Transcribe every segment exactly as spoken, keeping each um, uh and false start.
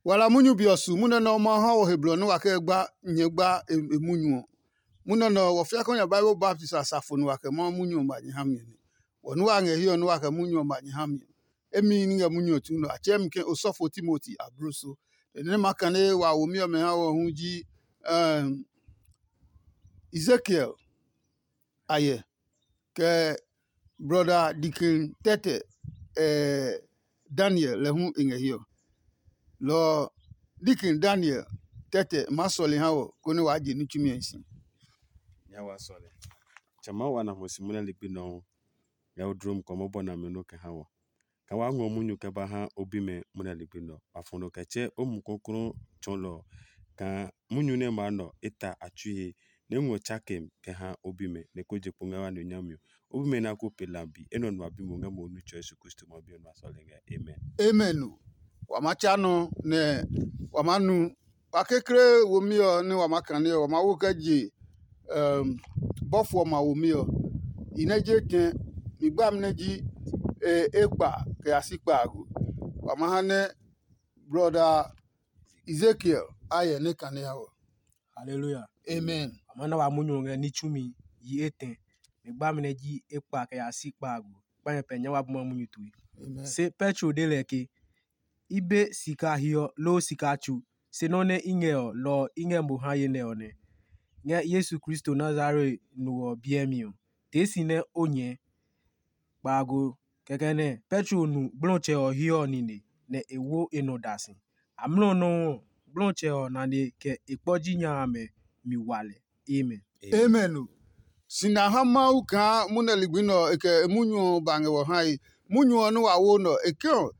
Wa la munyu be ɔ su munyu nɛ ɔ Mawu ha wɔ he blɔ nɛ wa kɛ gba nyɛɛ gba e munyu ɔ. Munyu nɛ ɔ, wɔ fiakɔ nya Bible baptist asafo nɛ wa kɛ Mawu munyu ɔ ba nyɛ ha mi ɔ nɛ. Wɔ nɛ wa ngɛ hiɛ ɔ nɛ wa kɛ munyu ɔ ba nyɛ ha mi ɔ. Emi ní ngɛ munyu ɔ tsu nɛ a tsɛɛ mi ke osɔfo Timoti abloso. Nɛ nɛ ma kane wa womi ɔmɛ ha wɔ hu ji Ezekiel ayɛ, kɛ brɔda Dikin tɛtɛ Daniel lɛ hu e ngɛ hiɛ ɔ. Lɔ ɔ, Dikin Daniel tɛtɛ maa sɔle ha wɔ konɛ waa je ní tsumi ɔ hi si. Nya wa sɔle. Tsɛ maa wa na hwɛ si munɛ ligbi nɔuu. Ngɛ o dlo mu kɔmɔ bɔ nami nɔ kɛ ha wɔ. Ka wa ngɔ munyu kɛ ba ha o bimɛ munɛ ligbi nɔ. Wa fɔ nɔ kɛ tsɛ o mu kɔklɔ tsɔɔlɔ ɔ. Kaa munyu nɛ maa nɔ e ta a tsui he, nɛ ngɔ tsakem kɛ ha o bimɛ, nɛ ko je kpo ngɛ wa nɔ nyami ɔ. O bimɛ na ko pe lambi, enɛ ɔ nua bi mo ngɛ mo nu tsɔ Yesu Kristo ma bi ɔ nua sɔle ngɛ. Amen. Amen o. Wa ma tsa nɔ nɛ wa ma nu. Wa kekle womi ɔ nɛ wa ma kane ɔ, wa ma wo kɛ je bɔfo ɔmɛ a womi ɔ. I nɛ je tɛ mi gbami nɛ ji ekpa kɛ ya si kpaago. Wa ma ha nɛ brɔda Ezekiel a hyɛ nɛ kane ha wɔ. Haleluya. Amen. A ma na wa munyu ɔ ngɛ ní tsumi yi etɛ. Mi gbami nɛ ji ekpa kɛ ya si kpaago. Kpa nyɛ pɛ nyɛ wa buma munyu tue. Amen. Se Petro de lɛ ke, i be sika hiɔ loo sika tsu, se nɔ́ nɛ i ngɛ ɔ, lɔ ɔ i ngɛ mo ha ye nɛ ɔ nɛ. Ngɛ Yesu Kristo Nazareth no ɔ biɛ mi ɔ, tee si nɛ o nyɛɛ. Kpaago. Kɛkɛ nɛ Petro nu gblɔtsɛ ɔ hiɔ ɔ nine, nɛ e wo e nɔ da si. Amlɔ nɔuu ɔ, gblɔtsɛ ɔ nane kɛ e kpɔ ji nya amɛ mi wa lɛ. Amen. Amen o. Si na ha Mawu kaa munɛ ligbi nɛ ɔ, e kɛ e munyu ɔ ba ngɛ wɔ hae. Munyu ɔ nɛ wa wo nɛ ɔ, e ke ɔ,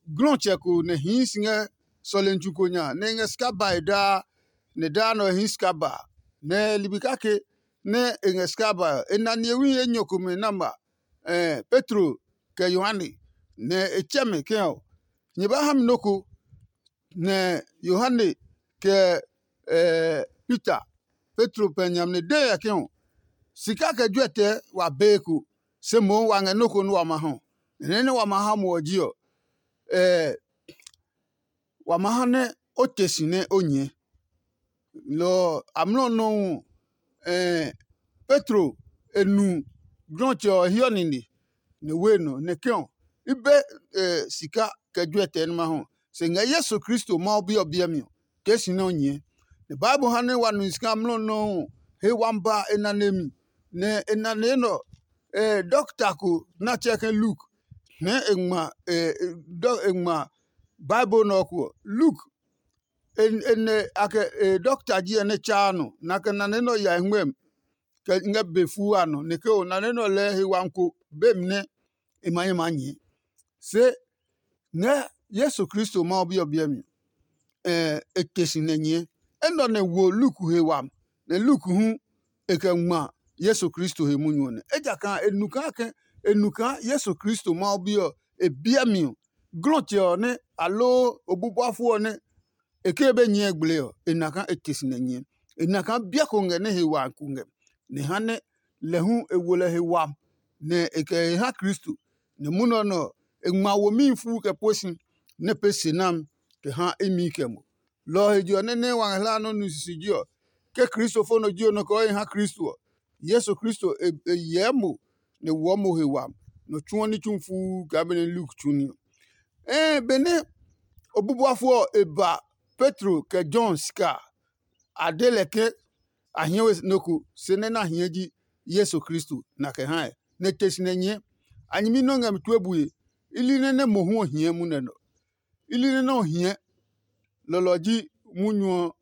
glɔtsɛ ko nɛ hii si ngɛ sɔlemi tsu ko nya, nɛ e ngɛ sika bae daa, nɛ daa nɛ ɔ e hii sika ba. Nɛ ligbi kake nɛ e ngɛ sika bae ɔ, e na nihewi enyɔ komɛ nɛ a ma Petro kɛ Yohane, nɛ e tsɛ mɛ ke ɔ, nyɛ ba ha mi nɔ́ ko. Nɛ Yohane kɛ Peter, Petro pɛ nyami nɛ de ngɛ ke ɔ, sika kɛ juɛtɛ wa bee ko, se mohu wa ngɛ nɔ́ ko nɛ wa ma hɔ. Nɛ nɛ wa ma ha mo ɔ ji ɔ, wa ma ha nɛ o te si nɛ o nyɛɛ. Lɔ ɔ, amlɔ nɔuu ɔ, Petro e nu glɔtsɛ ɔ hiɔ nine, nɛ we nɔ nɛ ke ɔ, i be sika kɛ juɛtɛ nɛ ma hɔ. Se ngɛ Yesu Kristo Mawu Bi ɔ biɛ mi ɔ, tee si nɛ o nyɛɛ. Nɛ Bible ha nɛ wa nu si kaa amlɔ nɔuu ɔ, he wami ba e nane mi, nɛ e nane nɛ ɔ, dɔkta ko nɛ a tsɛɛ ke Luk, hɛɛ e ngma e ngma Bible nɛ ɔ ko ɔ. Luk e nɛ a kɛ e dɔkta ji ɛ nɛ tsaa nɔ, nɛ a kɛ nane nɛ ɔ ya e hwɛmi kɛ ngɛ be fuu a nɔ, nɛ ke ɔ nane nɛ ɔ lɛɛ he wami ko be mi nɛ e ma nyɛ maa nyɛɛ. Se ngɛ Yesu Kristo Mawu Bi ɔ biɛ mi, e te si nɛ nyɛɛ. Enɛ ɔ nɛ wo Luk he wami, nɛ Luk hu e kɛ ngma Yesu Kristo he munyu ɔ nɛ. Ejakaa e nu kaa ke e nu kaa Yesu Kristo Mawu Bi ɔ e biɛ mi ɔ, glɔtsɛ ɔ nɛ aloo obubuafo ɔ nɛ e ke be nyɛɛ gble ɔ, e na kaa e te si nɛ nyɛɛ. E na kaa biɛ ko ngɛ nɛ he wa ko ngɛ, nɛ e ha nɛ lɛ hu e wo lɛ he wami, nɛ e kɛ he ha Kristo. Nɛ munɔ nɛ ɔ, e ngma womihi fuu kɛ pue si, nɛ e pee se nami kɛ ha imi kɛ mo. Lɔ ɔ he je ɔ, nɛ nɛ wa ngɛ hlaa nɔ́ nu sisiji ɔ, ke kristofo nɔ ji nɔ kɛ o he ha Kristo ɔ, Yesu Kristo e hyɛɛ mo nɛ woɔ mo he wami, nɔ tsuɔ ní tsu fuu kaa benɛ Luk tsu ní ɔ. Ɛɛ, benɛ obubuafo ɔ e ba Petro kɛ John sika a, a de lɛ ke a hiɛ we nɔ́ ko, se nɛ nɛ a hiɛ ji Yesu Kristo, nɛ a kɛ hae, nɛ e te si nɛ nyɛɛ. A nyɛmi nɔ́ ngɛ mi tue bue, i li nɛ nɛ mohu ɔ hiɛ munɛ nɔ. I li nɛ nɛ ɔ hiɛ, lɔlɔ ji munyu ɔ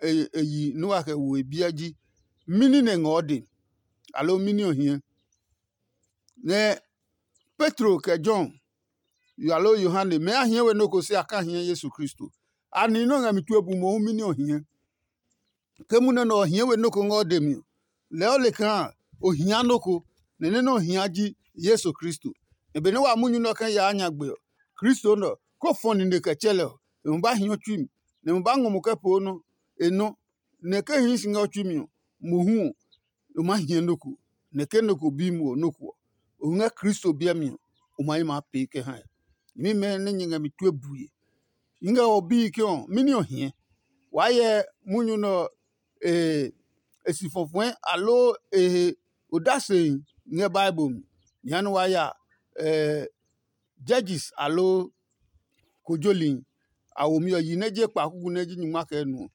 e yi nɛ wa kɛ wo e biɛ ji, mɛni nɛ ngɔɔ dɛ, aloo mɛni ɔ hiɛ? Nɛ Petro kɛ John, aloo Yohane, mɛɛ a hiɛ we nɔ́ ko se a ka hiɛ Yesu Kristo? A nihi nɛ ɔ ngɛ mi tue bu mohu mɛni ɔ hiɛ? Ke munɛ nɛ ɔ hiɛ we nɔ́ ko ngɛ o dɛ mi ɔ, lɛɛ o le kaa o hia nɔ́ ko, nɛ nɛ nɛ ɔ hia ji Yesu Kristo. Nɛ benɛ wa munyu nɛ ɔ kɛ yaa nyagbe ɔ, Kristo nɛ ɔ, kó fɔ nine kɛ tsɛ lɛ ɔ, e ma ba hiɔ tsui mi, nɛ e ma ba ngɔ mo kɛ poo nɔ́ e nɔ́, nɛ ke hii si ngɛ o tsui mi ɔ, mohu ɔ, o maa hiɛ nɔ́ ko, nɛ ke nɔ ko bi mo ɔ nɔ́ ko ɔ, o ngɛ Kristo biɛ mi ɔ, o ma yi maa pee kɛ ha ɛ. Nyɛmimɛ nɛ nyɛ ngɛ mi tue bue, i ngɛ o bii ke ɔ, mɛni ɔ hie? Waa hyɛ munyu nɛ ɔ e si fɔfɔɛ aloo e he odase ngɛ Bible mi. Jehanɛ waa ya Judges aloo kojoli a womi ɔ yi nɛ je kpa kuku nɛ ji nyingma kɛ nu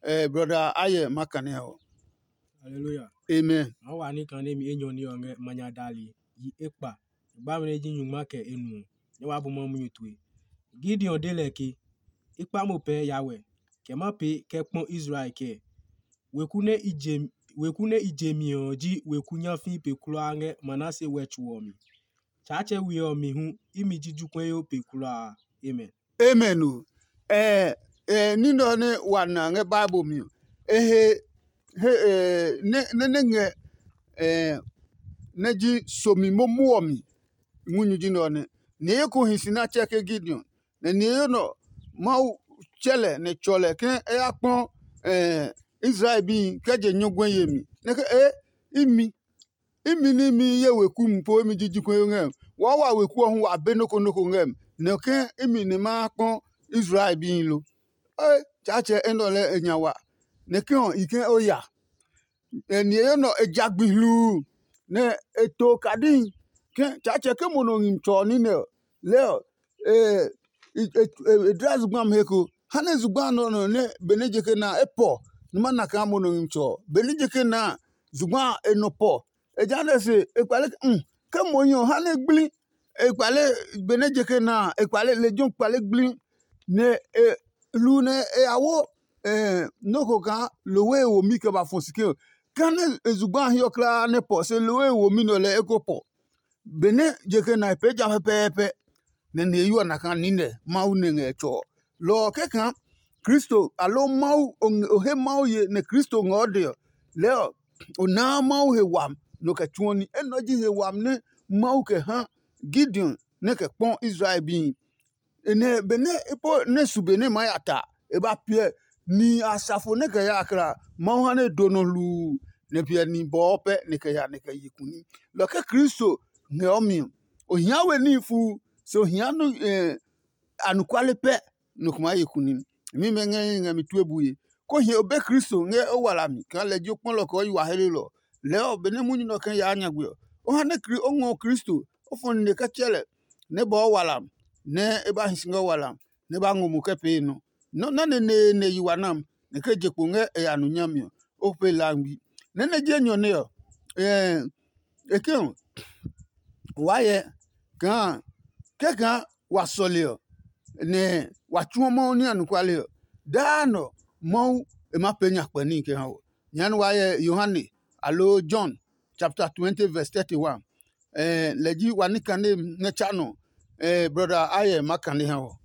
ɔ. Brɔda Ayɛ ma kane ɔ. Hallelujah. Amen. Maa wa ní kan nɛ mi enyɔ ní ɔ ngɛ manya dali yi ekpa. Gba mi nɛ ji nyungma kɛ e nu ɔ, nɛ waa bu Mawu munyu tue. Gideon de lɛ ke, i kpa mo pɛɛ ya wɛ, kɛ ma pee kɛ kpɔ Israel kɛɛ? Weku nɛ i je weku nɛ i je mi ɔ ji weku nyafii pe kulaa ngɛ Manase wɛ tso ɔ mi. Tsaatsɛ we ɔ mi hu imi ji jukwɛyo pe kulaa. Amen. Amen o. Ɛ ɛ ní nɛ ɔ nɛ wa na ngɛ Bible mi ɔ, e he he ɛ nɛ nɛ nɛ ngɛ ɛ nɛ ji somi momo ɔ mi. Munyu ji nɛ ɔ nɛ. Ni eko hi si nɛ a tsɛ ke Gideon, nɛ ni eyo nɔ Mawu tsɛ lɛ nɛ tsɔ lɛ ke e ya kpɔ ɛ Israel bi kɛ je nyɔguɛ yemi. Nɛ ke e imi imi ní imi ye weku mi po imi ji ji kɔyo ngɛ mi. Waa wa weku ɔ hu wa be noko noko ngɛ mi. Nɛ ke imi ni ma kpɔ Israel bi lo. E Tsaatsɛ enɛ ɔ lɛ e nya wa. Nɛ ke ɔ i ke o ya. Ni eyo nɔ e ja gbi hluu nɛ e to kadihi ke Tsaatsɛ ke mo nɔ ngmi tsɔ ɔ ní nɛ ɔ, lɛɛ ɔ e e dla zugba mi he ko. Ha nɛ zugba nɔ nɔ nɛ benɛ je ke na e pɔ, numa na kaa mo nɔ ngmi tsɔ ɔ. Benɛ je ke na zugba e nɔ pɔ. Ejaanɛ se e kpale ke ke mo hi ɔ ha nɛ gblĩ. E kpale benɛ je ke na a, e kpale lejɛ ɔ kpale gblĩ. Nɛ e lu nɛ e ya wo nɔ́ ko kaa lohwe e womi kɛ ba fɔ si ke ɔ, kɛnɛ e zugba a hiɔ kulaa nɛ pɔ se lohwe e womi nɛ ɔ lɛ eko pɔ. Benɛ je ke na e pee ja pɛpɛɛpɛ, nɛ niheyo ɔ na kaa niinɛ Mawu nɛ ngɛ tsɔ ɔ. Lɔ ɔ kɛkaa Kristo aloo Mawu o he Mawu ye nɛ Kristo ngɛ o dɛ ɔ, lɛɛ ɔ o naa Mawu he wami nɔ kɛ tsuɔ ní. Enɛ ɔ ji he wami nɛ Mawu kɛ ha Gideon nɛ kɛ kpɔ Israel bihi. Nɛ benɛ e po nɛ su be nɛ e maa ya ta, e ba piɛ nihi asafo nɛ kɛ ya kla Mawu ha nɛ e do nɔ hluu, nɛ piɛ nihi bɔɔ pɛ nɛ kɛ ya nɛ kɛ ye kuni. Lɔ ke Kristo ngɛ o mi ɔ, o hia we níhi fuu, se o hia anɔkuale pɛ nɔ ko maa ye kuni. Mimɛ ngɛ hi ngɛ mi tue bue, ko hie o be Kristo ngɛ o wala mi kaa lɛ ji o kpɔlɔ kɛ o yi wa helelɔ. Lɛɛ ɔ, benɛ munyu nɛ ɔ kɛ yaa nyagbe ɔ, o ha nɛ o ngɔ Kristo, o fɔ nine kɛ tsɛ lɛ, nɛ e bɔɔ wala mi, nɛ e ba hi si ngɛ wala mi, nɛ e ba ngɔ mo kɛ pee nɔ. Nɔ́ nɛ neneene yi wa nam, nɛ ke je kpo ngɛ e ya nu nyami ɔ, o pee laangbi. Nɛ nɛ ji enyɔ nɛ ɔ, e ke ɔ, waa hyɛ kaa kɛkaa wa sɔle ɔ, nɛ wa tsuɔ Mawu ní anɔkuale ɔ, daa nɔ Mawu e maa pee nyakpɛ níhi kɛ ha wɔ. Jehanɛ waa hyɛ Yohane aloo John chapter twenty verse thirty-one. Lɛ ji wa ní kane nɛ tsa nɔ. Brɔda Ayɛ ma kane ha wɔ.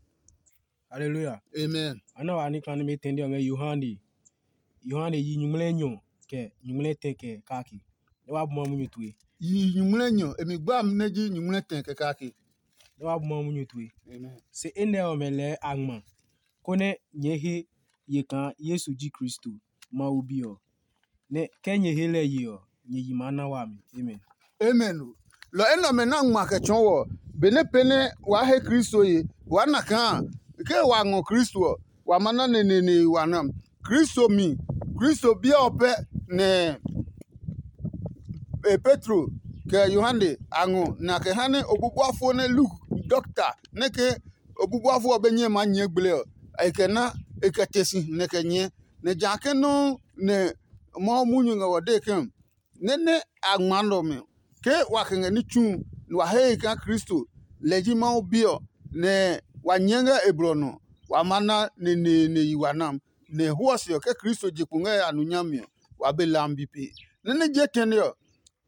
Haleluya. Amen. A na wa ní kane mɛ tɛndi ɔ ngɛ Yohane. Yohane yi nyuŋmlɛ nyɔ kɛ nyuŋmlɛ tɛ kɛ kake. Nɛ wa bu ma munyu tue. Yi nyuŋmlɛ nyɔ, e mi gba mi nɛ ji nyuŋmlɛ tɛ kɛ kake. Nɛ wa bu ma munyu tue. Amen. Se enɛ ɔmɛ lɛɛ a ngma, konɛ nyɛɛ he ye kaa Yesu ji Kristo, Mawu Bi ɔ. Nɛ ke nyɛ he lɛ ye ɔ, nyɛ yi maa na wami. Amen. Amen o. Lɔ enɛ ɔmɛ nɛ a ngma kɛ tsɔɔ wɔ, benɛ pɛ nɛ waa he Kristo ye, waa na kaa ke wa ngɔ Kristo ɔ, wa ma na neneene wa na. Kristo mi, Kristo biɛ ɔ pɛ nɛ e Petro kɛ Yohane a ngɔ nɛ a kɛ ha nɛ obubuafo nɛ Luk dɔkta nɛ ke obubuafo ɔ be nyɛ maa nyɛɛ gble ɔ, e kɛ na e kɛ te si nɛ kɛ nyɛɛ. Nɛ ja ke nɔuu nɛ Mawu munyu ngɛ wɔ dee ke, nɛ nɛ a ngma nɛ ɔmɛ ke wa kɛ ngɛ ní tsu nɛ wa he he kaa Kristo lɛ ji Mawu Bi ɔ, nɛ wa nyɛɛ ngɛ e blɔ nɔ, wa ma na neneene yi wa nam. Nɛ e hwɔ se ɔ, ke Kristo je kpo ngɛ a nu nyami ɔ, wa be lambi pe. Nɛ nɛ je tɛne ɔ,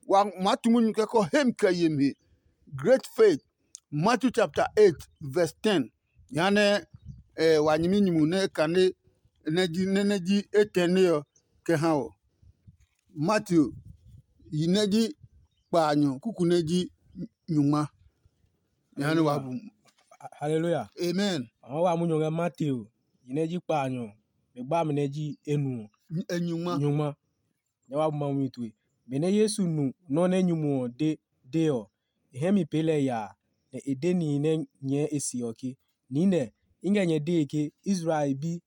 wa maa tu munyu kɛkɔ hemi kɛ yemi he. Great faith. Matthew chapter eight verse ten. Jehanɛ wa nyɛmi nyumu nɛ e kane nɛ ji nɛ nɛ ji etɛne ɔ kɛ ha wɔ. Matthew yi nɛ ji kpaanyɔ kuku nɛ ji nyungma. Jehanɛ wa bu. Haleluya. Amen. Ama wa munyu ngɛ Matthew yi nɛ ji kpaanyɔ, mi gba mi nɛ ji enu ɔ. Nyungma. Nyungma. Nyɛ wa bu Mawu mi tue. Benɛ Yesu nu nɔ́ nɛ nyumu ɔ de de ɔ, e hɛ mi pee lɛ yaa, nɛ e de nihi nɛ nyɛɛ e se ɔ ke, “Niinɛ, I ngɛ nyɛ dee ke Israel bi,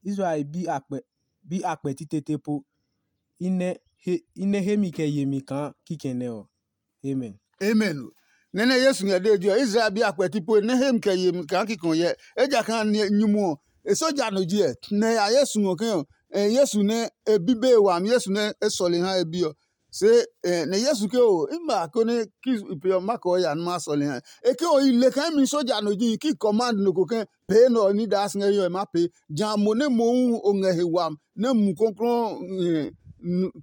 Israel bi akpɛ bi akpɛ titete po, i nɛ he i nɛ hemi kɛ yemi kaa kikɛ nɛ ɔ. Amen. Amen. Nɛ́ nɛ Yesu ngɛ dee je ɔ, Israel bi a kpɛti pue nɛ hemi kɛ yemi kaa kikɔ hyɛ. Ejakaa nyumu ɔ, e soja no ji ɛ, nɛ e ya Yesu ngɔ ke ɔ, Yesu nɛ e bi be e wami, Yesu nɛ e sɔle ha e bi ɔ. Se nɛ Yesu ke o, i ma konɛ ki pe ɔ ma kɔɔ ya nɛ ma sɔle ha. E ke o, i le kaa imi soja no ji ki command no ko ke pee nɛ ɔ ní daa si ngɛ hiɛ ɔ, e maa pee. Ja mo nɛ mohu o ngɛ he wami nɛ Mumi Klɔuklɔu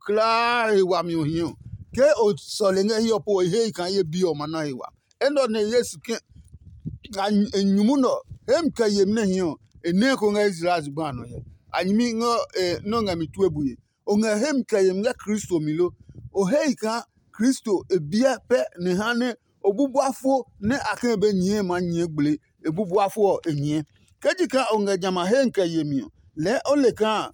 kulaa he wami ɔ hi ɔ, ke o sɔle ngɛ hiɛ ɔ po ɔ, e hehi kaa ye bi ɔ ma na he wami. Enɛ ɔ nɛ Yesu ke e nyumu nɛ ɔ, hemi kɛ yemi nɛ hi ɔ, e nɛ ko ngɛ Israel zugba a nɔ hyɛ. A nyɛmi ngɛ nɔ́ ngɛ mi tue bue. O ngɛ hemi kɛ yemi ngɛ Kristo mi lo? O hehi kaa Kristo e biɛ pɛ nɛ ha nɛ o bubuafo nɛ a kɛ be nyɛɛ maa nyɛɛ gblee, e bubuafo ɔ e nyɛɛ. Ke ji kaa o ngɛ jamɛ a hemi kɛ yemi ɔ, lɛɛ o le kaa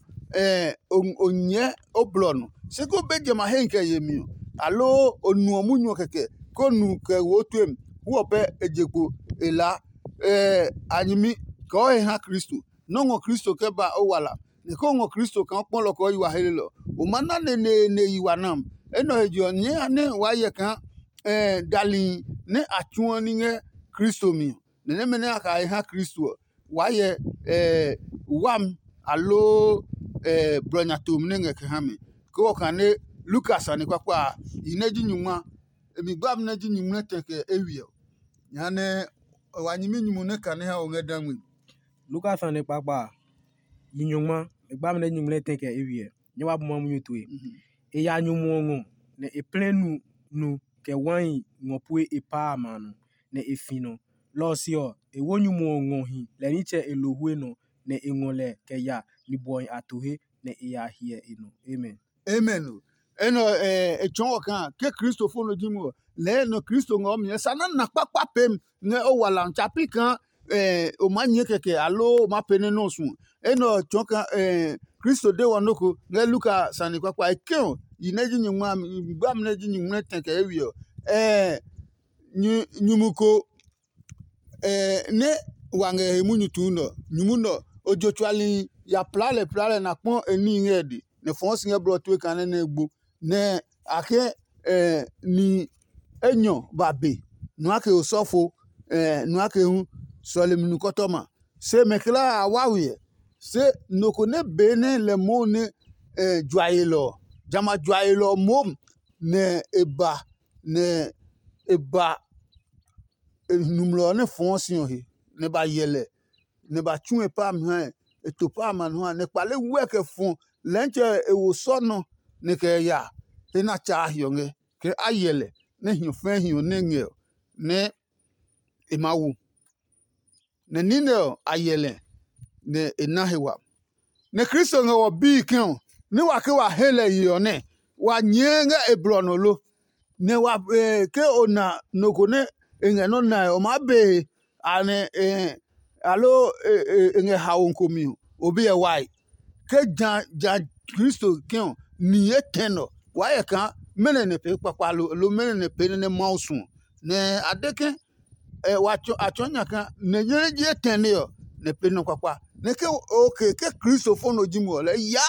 o nyɛɛ o blɔ nɔ. Se ko be jamɛ a hemi kɛ yemi ɔ, aloo o nuɔ munyu ɔ kɛkɛ, ko nu kɛ wo o tue mi, hu ɔ pɛ e je kpo e laa. A nyɛmi kɛ o he ha Kristo. Nɔ́ ngɔ Kristo kɛ ba o wala, nɛ ke o ngɔ Kristo kaa o kpɔ lɔ kɛ o yi wa helelɔ, o ma na neneene yi wa nam. Enɛ ɔ he je ɔ, nyɛɛ ya nɛ waa hyɛ kaa dali nɛ a tsuɔ ní ngɛ Kristo mi ɔ, nɛ nɛmɛ nɛ a kɛ ha Kristo ɔ, waa hyɛ wami aloo blɔ nya tomi nɛ ngɛ kɛ ha mi. Ke o kane Lukas sane kpakpa a, yi nɛ ji nyungma, e mi gbami nɛ ji nyumu nɛ tɛ kɛ eywiɛ ɔ. Jehanɛ wa nyɛmi nyumu nɛ kane ha o ngɛ da ngmi. Lukas sane kpakpa a, yi nyungma, e gbami nɛ ji nyumu nɛ tɛ kɛ eywiɛ ɔ. Nyɛ wa bu ma munyu tue. E ya nyumu ɔ ngɔ, nɛ e plɛ nu nu kɛ wai ngɔ pue e paa a ma a nɔ, nɛ e fi nɔ. Lɔ ɔ se ɔ, e wo nyumu ɔ ngɔ hi lɛ nitsɛ e lo hue nɔ, nɛ e ngɔ lɛ kɛ ya ni bɔhi a to he, nɛ e ya hyɛ e nɔ. Amen. Amen o. Enɛ ɔ, e tsɔɔ wɔ kaa ke kristofo nɔ ji mo ɔ, lɛɛ nɔ Kristo ngɛ o mi ɛ sa na na kpakpa pem ngɛ o wala ɔ tsa pi kaa o maa nyɛɛ kɛkɛ aloo o maa pee nɛ nɔ́ ɔ suɔ. Enɛ ɔ tsɔɔ kaa Kristo de wɔ nɔ́ ko ngɛ Luka sane kpakpa e ke ɔ, yi nɛ ji nyumu a mi, gbami nɛ ji nyumu nɛ tɛ kɛ eywiɛ ɔ. Nyumu ko nɛ wa ngɛ he munyu tuu nɛ ɔ, nyumu nɛ ɔ, ojo tsuali ya plaa lɛ plaa lɛ nɛ a kpɔ e níhi ngɛ e dɛ, nɛ fɔɔ si ngɛ blɔ tue kaa nɛ nɛ e gbo. Nɛ a ke ni enyɔ ba be nua ke osɔfo, nua ke hu sɔlemi nukɔtɔma. Se mɛ kulaa a wa we ɛ. Se nɔ ko nɛ bee nɛ lɛ moo nɛ jua yelɔ ɔ, jamɛ a jua yelɔ ɔ moom nɛ e ba nɛ e ba numlɔ ɔ nɛ fɔɔ si ɔ he, nɛ ba hyɛ lɛ, nɛ ba tsu e pa a mi ha ɛ, e to pa a ma nɔ ha, nɛ kpale wɛ kɛ fɔ lɛntsɛ e wo sɔ nɔ, nɛ kɛ ya he nɛ a tsaa hiɔ ngɛ, kɛ a hyɛ lɛ, nɛ hiɔ fɛɛ hiɔ nɛ ngɛ ɔ, nɛ e maa wo. Nɛ niinɛ ɔ, a hyɛ lɛ, nɛ e na he wami. Nɛ Kristo ngɛ wɔ bii ke ɔ, ní wa ke wa he lɛ ye ɔ nɛ, wa nyɛɛ ngɛ e blɔ nɔ lo? Nɛ wa ke o na nɔ ko nɛ e ngɛ nɔ́ nae ɔ maa be he, anɛ aloo e ngɛ haomi ko mi ɔ, o bi hyɛ wae? Ke ja ja Kristo ke ɔ, nihi etɛ nɛ ɔ, waa hyɛ kaa mɛnɔ nɛ pee kpakpa lo, aloo mɛnɔ nɛ pee nɛ nɛ Mawu suɔ. Nɛ a de ke wa tsɔ a tsɔɔ nya kaa nɛ nyɛ nɛ ji etɛne ɔ, nɛ pee nɔ kpakpa. Nɛ ke oke ke kristofo nɔ ji mo ɔ, lɛɛ ya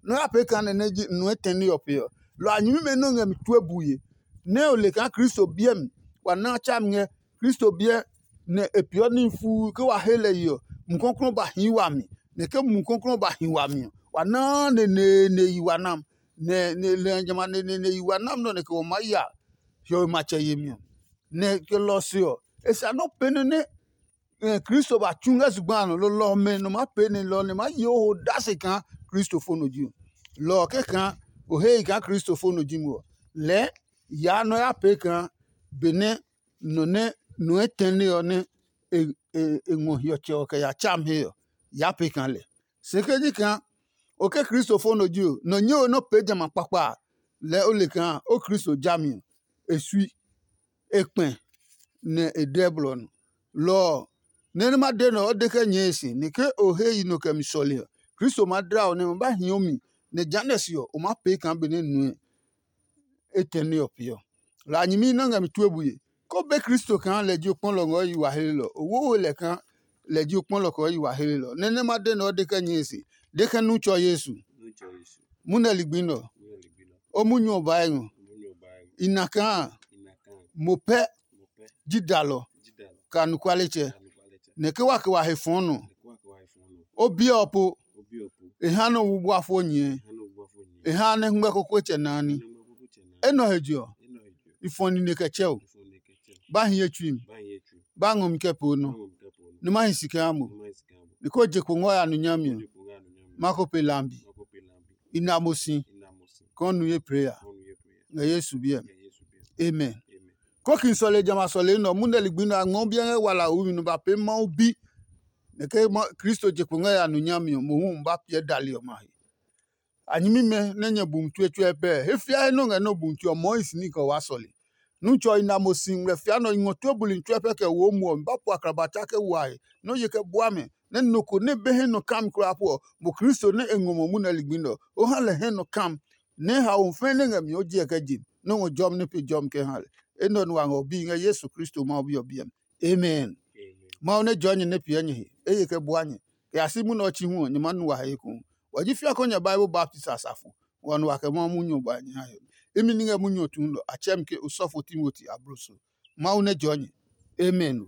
nɔ ya pee kaa nɛ nɛ ji nɔ etɛne ɔ pe ɔ. Lɔ a nyɛmimɛ nɛ o ngɛ mi tue bue, nɛ o le kaa Kristo biɛ mi wa na a tsa mi ngɛ Kristo biɛ nɛ e peeɔ níhi fuu ke wa he lɛ ye ɔ, Mumi Klɔuklɔu ba hii wami, nɛ ke Mumi Klɔuklɔu ba hi wami ɔ, wa naa neneene yi wa nam, nɛ nɛ lɛ jamɛ a neneene yi wa nam nɛ ɔ nɛ kɛ wɔ maa ya hiɔwe matsɛ yemi ɔ. Nɛ ke lɔ ɔ se ɔ, e sa nɔ́ pɛnɛ nɛ Kristo ba tsu ngɛ zugba a nɔ, lolɔ ɔmɛ nɔ maa pee nɛ lɔ ɔ nɛ maa ye o ho odase kaa kristofo nɔ ji o. Lɔ ɔ kɛkaa o he yi kaa kristofo nɔ ji mo ɔ, lɛɛ yaa nɔ ya pee kaa benɛ nɔ nɛ nɔ etɛne ɔ nɛ e ngɔ hiɔtsɛ ɔ kɛ ya tsa mi he ɔ, yaa pee kaa lɛ. Se ke ji kaa o ke kristofo nɔ ji o, nɔ nyɛe we nɔ́ pee jamɛ a kpakpa a, lɛɛ o le kaa o Kristo jami ɔ, e sui, e kpɛ, nɛ e dɛ blɔ nɔ. Lɔ ɔ, nɛ nɛ ma de nɛ ɔ, o de kɛ nyɛɛ e se, nɛ ke o he yi nɔ kɛ mi sɔle ɔ, Kristo maa dla o nɛ ma ba hii o mi, nɛ jehanɛ se ɔ, o maa pee kaa benɛ nue etɛ nɛ ɔ pee ɔ. Lɔ a nyɛmi nɛ ngɛ mi tue bue. Ko be Kristo kaa lɛ ji o kpɔlɔ ngɛ o yi wa hlelɔ. O wowe lɛ kaa lɛ ji o kpɔlɔ kɛ o yi wa helelɔ. Nɛ nɛ ma de nɛ o de kɛ nyɛe se, de kɛ nu tsɔ Yesu. Munɛ ligbi nɛ ɔ, o munyu ɔ ba ngɔ. I na kaa mo pɛ ji dalɔ kɛ anɔkualetsɛ, nɛ ke wa kɛ wa he fɔɔ nɔ. O biɛ ɔ po, e ha nɛ o wu bua fo nyɛɛ, e ha nɛ hɛngmɛ kokoetsɛ naa ní. Enɛ ɔ he je ɔ, i fɔ nine kɛ tsɛ o. Ba hiɛ tsui mi, ba ngɔ mi kɛ pee o nɔ, nɛ ma hi si kɛ ha mo. Nɛ ko je kpo ngɔ ya nu nyami ɔ, ma ko pe lambi. I na mo si kaa o nu ye pee ya ngɛ Yesu biɛ mi. Amen. Kokin sɔle jamɛ a sɔle nɛ ɔ, munɛ ligbi nɛ a ngmɔ biɛ ngɛ wala a wumi nɛ ba pee Mawu bi. Nɛ ke Kristo je kpo ngɛ ya nu nyami ɔ, mohu ba piɛ dali ɔmɛ a he. A nyɛmimɛ nɛ nyɛ bu mi tsuɛ tsuɛ pɛɛ, he fiae nɛ o ngɛ nɔ́ bu mi tsuɛ ɔ mɔɔ hi si ní kɛ o waa sɔle. Nú tsɔ i na mo si ngmlɛ fia nɛ ɔ, i ngɔ tue buli tsuɛ pɛ kɛ wo muɔ mi ba po akrabata kɛ wo a he, nɛ o ye kɛ bua mɛ, nɛ nɔ ko nɛ be hɛ nɔ kam kulaa po ɔ, mo Kristo nɛ e ngɔ mo munɛ ligbi nɛ ɔ, o ha lɛ hɛ nɔ kam, nɛ haomi fɛɛ nɛ ngɛ mi ɔ o jiɛ kɛ je mi, nɛ o ngɔ jɔmi nɛ pe jɔmi kɛ ha lɛ. Enɛ ɔ nu wa ngɛ o bi ngɛ Yesu Kristo Mawu Bi ɔ biɛ mi. Amen. Mawu nɛ jɔɔ nyɛ nɛ piɛ nyɛ he, e ye kɛ bua nyɛ, kɛ ya si munɛ ɔ chi hu ɔ, nyɛ maa nu wa he ekohu. Wa ji fiakɔ nyɛ Bible baptisi a safo, wa nu wa kɛ Mawu munyu ɔ ba nyɛ ha hiɔmɛ. Imi ní ngɛ munyu ɔ tuun nɔ, a tsɛɛ mi ke osɔfo Timoti abloso. Mawu nɛ jɔɔ nyɛ. Amen.